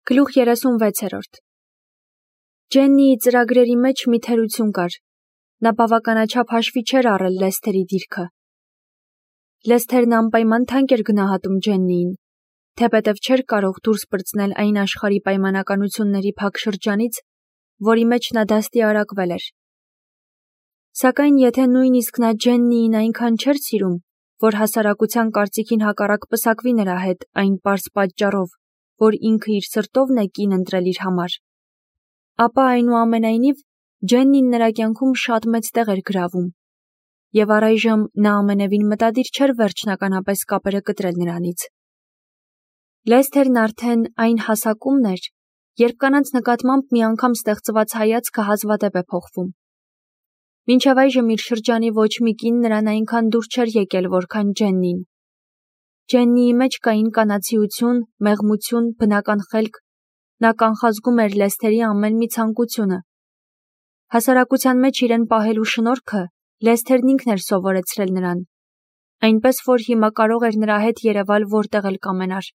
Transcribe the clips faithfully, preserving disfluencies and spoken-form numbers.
Գլուխ երեսունվեցերորդ Ջեննիի ծրագրերի մեջ մի թերություն կար. նա բավականաչափ հաշվի չէր առել Լեսթերի դիրքը։ Լեսթերն անպայման թանկ էր գնահատում Ջեննիին, թեպետև չէր կարող դուրս պրծնել այն աշխարհի պայմանականությունների փակ շրջանից, որի մեջ նա դաստիարակվել էր։ Սակայն եթե նույնիսկ նա Ջեննիին այնքան չէր սիրում, որ հասարակության կարծիքին հակառակ պսակվի նրա հետ այն պարզ պատճառով, որ ինքը իր սրտովն է կին ընտրել իր համար, ապա այնուամենայնիվ Ջեննին նրա կյանքում շատ մեծ տեղ էր գրավում, և առայժմ նա ամենևին մտադիր չէր վերջնականապես կապերը կտրել նրանից։ Լեսթերն արդեն այն հասակումն էր, երբ կանանց նկատմամբ մի անգամ ստեղծված հայացքը հազվադեպ է փոխվում։ Մինչև այժմ իր շրջանի ոչ մի կին նրան այնքան դուր չէր եկել, որքան Ջեննին։ Ջեննիի մեջ կային կանացիություն, մեղմություն, բնական խելք, նա կանխազգում էր Լեսթերի ամեն մի ցանկությունը։ Հասարակության մեջ իրեն պահելու շնորհքը Լեսթերն ինքն էր սովորեցրել նրան, այնպես որ հիմա կարող էր նրա հետ երևալ որտեղ էլ կամենար։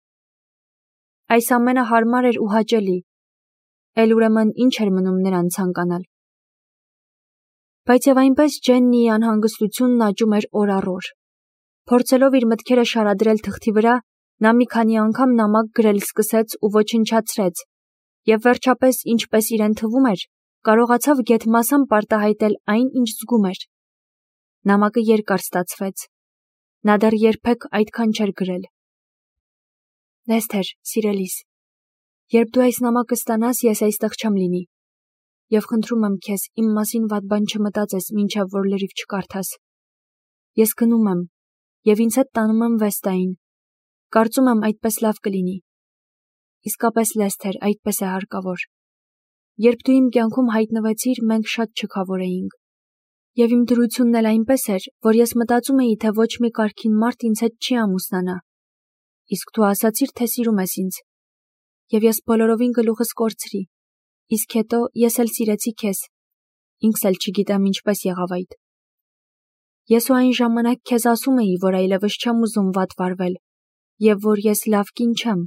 Այս ամենը հարմար էր ու հաճելի, էլ ուրեմն ինչ էր մնում նրան ցանկանալ։ Բայց եւ այնպես Ջեննիի անհանգստությունն աճում էր օր առ օր։ Փորձելով իր մտքերը շարադրել թղթի վրա, նա մի քանի անգամ նամակ գրել սկսեց ու ոչնչացրեց, եւ վերջապես, ինչպես իրեն թվում էր, կարողացավ գեթմասամբ արտահայտել այն, ինչ զգում էր։ Նամակը երկար ստացվեց։ Նա դեռ երբեք այդքան չէր գրել։ Լեսթեր, սիրելիս, երբ դու այս նամակը ստանաս, ես այստեղ չեմ լինի, եւ խնդրում եմ քեզ, իմ մասին վատ բան չմտածես, մինչև որ լրիվ չկարդաս։ Ես գնում եմ, եւ ինձ հետ տանում եմ Վեստային։ Կարծում եմ այդպես լավ կլինի։ Իսկապես, Լեսթեր, այդպես է հարկավոր։ Երբ դու իմ կյանքում հայտնվեցիր, մենք շատ չքավոր էինք։ Եվ իմ դրությունն էլ այնպես էր, որ ես մտածում էի, թե ոչ մի կարգին մարդ ինձ հետ չի ամուսնանա։ Իսկ դու ասացիր, թե սիրում ես ինձ։ Եվ ես բոլորովին գլուխս կորցրի։ Իսկ հետո ես էլ սիրեցի քեզ։ Ինքս էլ չգիտեմ ինչպես եղավ այդ։ Ես ու այն ժամանակ քեզ ասում էի, որ այլևս չեմ ուզում վատ վարվել, եւ որ ես լավ կին չեմ։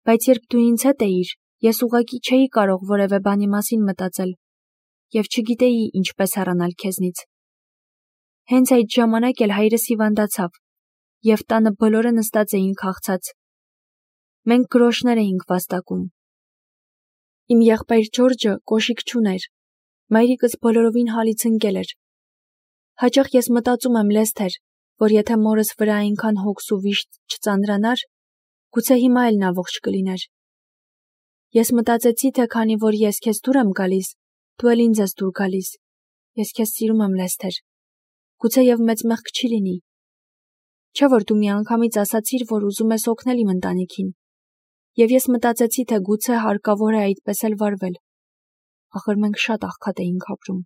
Բայց երբ դու ինձ հետ էիր, ես ուղղակի չէի կարող որևէ բանի մասին մտածել, եւ չգիտեի ինչպես հեռանալ քեզնից։ Հենց այդ ժամանակ էլ հայրս հիվանդացավ, եւ տանը բոլորը նստած էին քաղցած։ Մենք գրոշներ էինք վաստակում։ Իմ եղբայր Ջորջը կոշիկ չուներ, մայրիկս բոլորովին հալից ընկել էր։ Հաճախ ես մտածում եմ, Լեսթեր, որ եթե մորս վրա այնքան հոգս ու վիշտ չծանրանար, գուցե հիմա էլ նա ողջ կլիներ։ Ես մտածեցի, թե քանի որ ես քեզ դուր եմ գալիս, դու էլ ինձ ես դուր գալիս։ Ես քեզ սիրում եմ, Լեսթեր։ Գուցե եւ մեծ մեղք չի լինի։ Չէ՞ որ դու միանգամից ասացիր, որ ուզում ես օգնել իմ ընտանիքին։ Եվ ես մտածեցի, թե գուցե հարկավոր է այդպես էլ վարվել։ Ախր մենք շատ աղքատ էինք ապրում։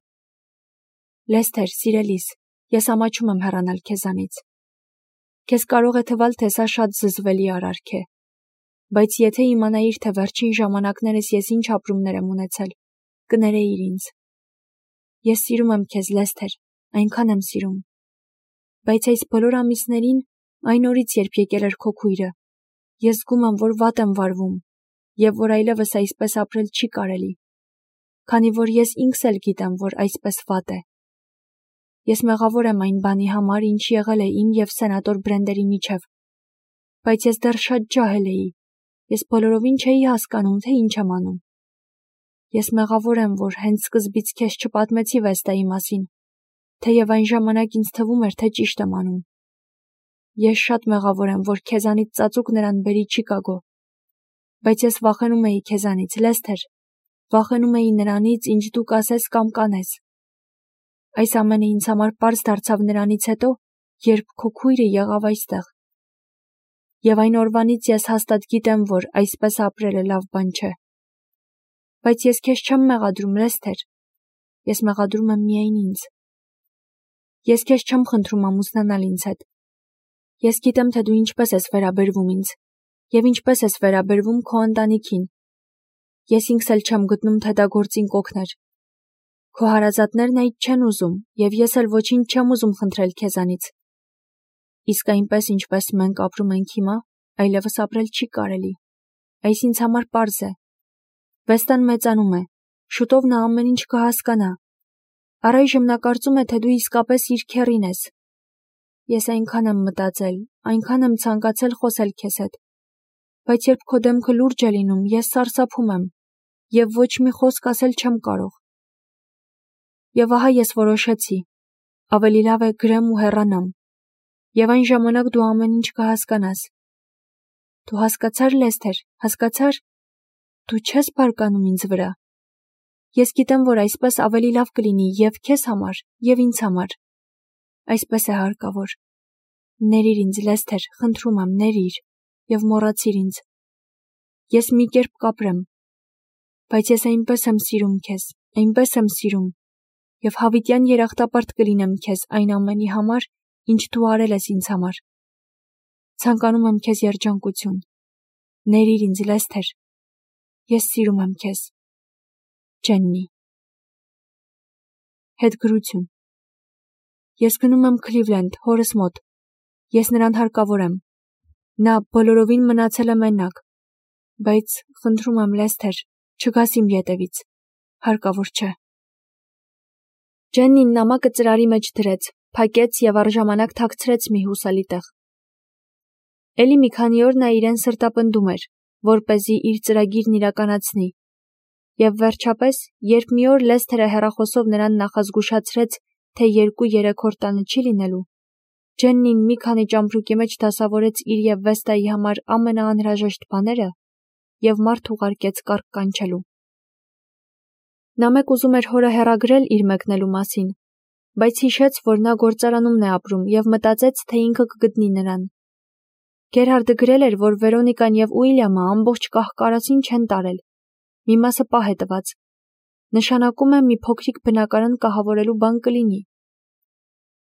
Լեսթեր, սիրելիս, ես ամաչում եմ հեռանալ քեզանից։ Քեզ կարող է թվալ, թե սա շատ զզվելի արարք է։ Բայց եթե իմանայիր, թե վերջին ժամանակներս ես ինչ ապրումներ եմ ունեցել, կներեիր ինձ։ Ես սիրում եմ քեզ, Լեսթեր, այնքան եմ սիրում։ Բայց այս բոլոր ամիսներին, այն օրից, երբ եկել էր քո քույրը, ես զգում եմ, որ վատ եմ վարվում, եւ որ այլևս այսպես ապրել չի կարելի, քանի որ ես ինքս էլ գիտեմ, որ այսպես վատ է։ Ես մեղավոր եմ այն բանի համար, ինչ եղել է իմ եւ սենատոր Բրենդերի միջև։ Բայց ես դեռ շատ ջահել էի։ Ես բոլորովին չէի հասկանում, թե ինչ եմ անում։ Ես մեղավոր եմ, որ հենց սկզբից քեզ չպատմեցի Վեստայի մասին, թեև այն ժամանակ ինձ թվում էր, թե ճիշտ եմ անում։ Ես շատ մեղավոր եմ, որ քեզանից ծածուկ նրան բերի Չիկագո։ Բայց ես վախենում էի քեզանից, Լեսթեր, վախենում էի նրանից, ինչ դու կասես կամ կանես։ Այս ամենը ինձ համար պարզ դարձավ նրանից հետո, երբ քո քույրը եղավ այստեղ։ Եվ այն օրվանից ես հաստատ գիտեմ, որ այսպես ապրելը լավ բան չէ։ Բայց ես քեզ չեմ մեղադրում, Լեսթեր։ Ես մեղադրում եմ միայն ինձ։ Ես քեզ չեմ խնդրում ամուսնանալ ինձ հետ։ Ես գիտեմ, թե դու ինչպես ես վերաբերվում ինձ, եւ ինչպես ես վերաբերվում քո ընտանիքին։ Ես ինքս էլ չեմ գտնում, թե դա գործին կօգներ։ Քո հարազատներն այդ չեն ուզում, եւ ես էլ ոչինչ չեմ ուզում խնդրել քեզանից։ Իսկ այնպես, ինչպես մենք ապրում ենք հիմա, այլևս ապրել չի կարելի։ այս ինձ համար պարզ է։ Վեստան մեծանում է, շուտով նա ամեն ինչ կհասկանա։ Առայժմ նա կարծում է, թե դու իսկապես իր քեռին ես։ Ես այնքան եմ մտածել, այնքան եմ ցանկացել խոսել քեզ հետ, բայց երբ քո դեմքը լուրջ է լինում, ես սարսափում եմ և ոչ մի խոսք ասել չեմ կարող։ Եվ ահա ես որոշեցի, ավելի լավ է գրեմ ու հեռանամ, և այն ժամանակ դու ամեն ինչ կհասկանաս։ Դու հասկացար, Լեսթեր, հասկացար։ Դու չես բարկանում ինձ վրա։ Ես գիտեմ, որ այսպես ավելի լավ կլինի և քեզ համար, և ինձ համար։ Այսպես է հարկավոր։ Ներիր ինձ, Լեսթեր, խնդրում եմ, ներիր, և մոռացիր ինձ։ Ես մի կերպ կապրեմ, բայց ես այնպես եմ սիրում քեզ, այնպես եմ սիրում, և հավիտյան երախտապարտ կլինեմ քեզ այն ամենի համար, ինչ դու արել ես ինձ համար։ Ցանկանում եմ քեզ երջանկություն։ Ներիր ինձ, Լեսթեր։ Ես սիրում եմ քեզ։ Ջեննի։ Հետգրություն։ Ես գնում եմ Քլիվլենդ, հորս մոտ։ Ես նրան հարկավոր եմ։ Նա բոլորովին մնացել է մենակ։ Բայց խնդրում եմ, Լեսթեր, չգաս իմ ետևից։ Հարկավոր չէ։ Ջեննին նամակը ծրարի մեջ դրեց, փակեց և առժամանակ թաքցրեց մի հուսալի տեղ։ Էլի մի քանի օր նա իրեն սրտապնդում էր, որպեսզի իր ծրագիրն իրականացնի։ Եվ վերջապես, երբ մի օր Լեսթերը հեռախոսով նրան նախազգուշացրեց, թե երկու-երեք օր տանը չի լինելու, Ջեննին մի քանի ճամպրուկի մեջ դասավորեց իր և Վեստայի համար ամենաանհրաժեշտ բաները և մարդ ուղարկեց կառք կանչելու։ Նա մեկ ուզում էր հորը հեռագրել իր մեկնելու մասին, բայց հիշեց, որ նա գործարանումն է ապրում և մտածեց, թե ինքը կգտնի նրան։ Գերհարդը գրել էր, որ Վերոնիկան և Ուիլյամը ամբողջ կահ-կարասին չեն տարել, մի մասը պահ է տված։ Նշանակում է մի փոքրիկ բնակարան կահավորելու բան կլինի։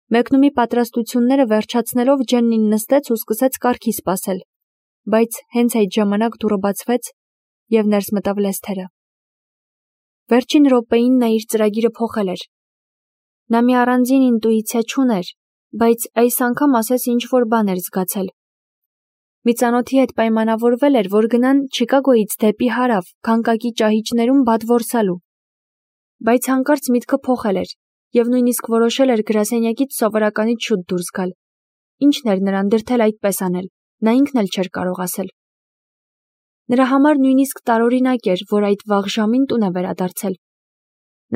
Մեկնումի պատրաստությունները վերջացնելով Ջեննին նստեց ու սկսեց կառքի սպասել, բայց հենց այդ ժամանակ դուռը բացվեց և ներս մտավ Լեսթերը։ Վերջին րոպեին նա իր ծրագիրը փոխել էր։ Նա մի առանձին ինտուիցիա չուներ, բայց այս անգամ ասես ինչ-որ բան էր զգացել։ Մի ծանոթի հետ պայմանավորվել էր, որ գնան Չիկագոյից դեպի հարավ, քանկակի ճահիճներում բադ որսալու։ Բայց հանկարծ միտքը փոխել էր և նույնիսկ որոշել էր գրասենյակից սովորականից շուտ դուրս գալ։ Ինչն էր նրան դրդել այդպես անել, նա ինքն էլ չէր կարող ասել։ Նրա համար նույնիսկ տարօրինակ էր, որ այդ վաղ ժամին տուն է վերադարձել։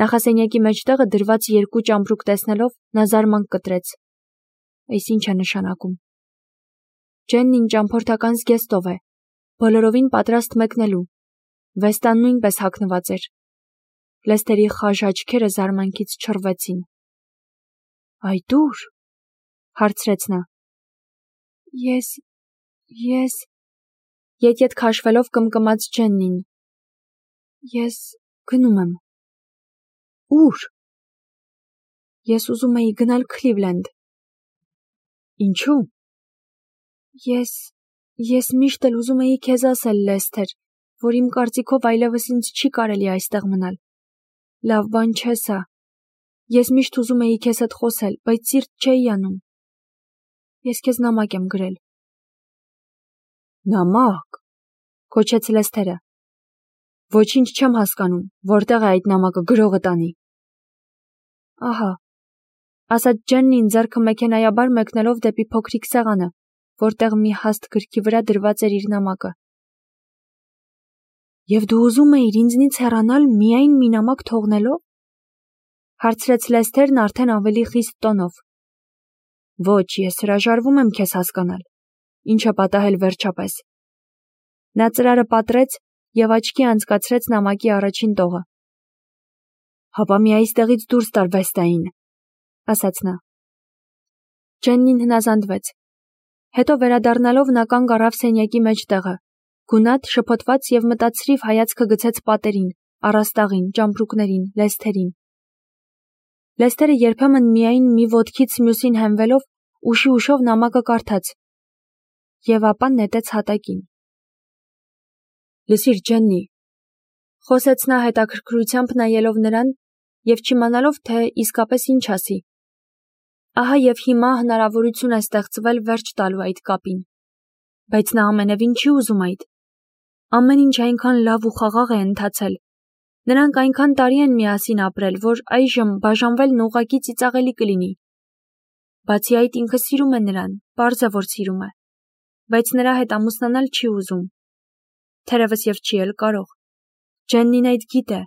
Նախասենյակի մեջտեղը դրված երկու ճամպրուկ տեսնելով նա զարմանք կտրեց։ Այս ինչ է նշանակում։ Ջեննին ճամփորդական զգեստով է, բոլորովին պատրաստ մեկնելու։ Վեստան նույնպես հագնված էր։ Լեսթերի խաժ աչքերը զարմանքից չռվեցին։ Այդ ո՞ւր, հարցրեց նա։ Ես, ես, ետ-ետ քաշվելով կմկմաց Ջեննին։ Ես գնում եմ։ Ո՞ւր։ Ես ուզում էի գնալ Քլիվլենդ։ Ինչու։ Ես, ես միշտ էլ ուզում էի քեզ ասել, Լեսթեր, որ իմ կարծիքով այլևս ինձ չի կարելի այստեղ մնալ։ Լավ բան չէ սա։ Ես միշտ ուզում էի քեզ հետ խոսել, բայց սիրտ չէի անում։ Ես քեզ նամակ եմ գրել։ Նամակ, գոչեց Լեսթերը։ Ոչինչ չեմ հասկանում, որտեղ է այդ նամակը գրողը տանի։ Ահա, ասաց Ջեննին ձեռքը մեքենայաբար մեկնելով դեպի փոքրիկ սեղանը, որտեղ մի հաստ գրքի վրա դրված էր իր նամակը։ Եվ դու ուզում էիր ինձնից հեռանալ միայն մի նամակ թողնելով։ Հարցրեց Լեսթերն արդեն ավելի խիստ տոնով։ Ոչ, ես հրաժարվում եմ քեզ հասկանալ։ Ինչ է պատահել վերջապես։ Նա ծրարը պատռեց և աչքի անցկացրեց նամակի առաջին տողը։ Հապա մի այստեղից դուրս տար Վեստային, ասաց նա։ Ջեննին հնազանդվեց։ Հետո վերադառնալով նա կանգ առավ սենյակի մեջտեղը, գունատ, շփոթված և մտածրիվ հայացքը գցեց պատերին, առաստաղին, ճամպրուկներին, Լեսթերին։ Լեսթերը երբեմն միայն մի ոտքից մյուսին հենվելով ուշի-ուշով նամակը կարդաց և ապա նետեց հատակին։ Լսիր, Ջեննի, խոսեց նա հետաքրքրությամբ նայելով նրան և չիմանալով, թե իսկապես ինչ ասի։ Ահա և հիմա հնարավորություն է ստեղծվել վերջ տալու այդ կապին։ Բայց նա ամենևին չի ուզում այդ։ Ամեն ինչ այնքան լավ ու խաղաղ է ընթացել։ Նրանք այնքան տարի են միասին ապրել, որ այժմ բաժանվելն ուղղակի ծիծաղելի կլինի։ Բացի այդ, ինքը սիրում է նրան, պարզ է, որ սիրում է, բայց նրա հետ ամուսնանալ չի ուզում։ Թերևս եւ չի էլ կարող։ Ջեննին այդ գիտե։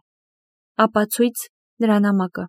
Ապացույց նրա նամակը։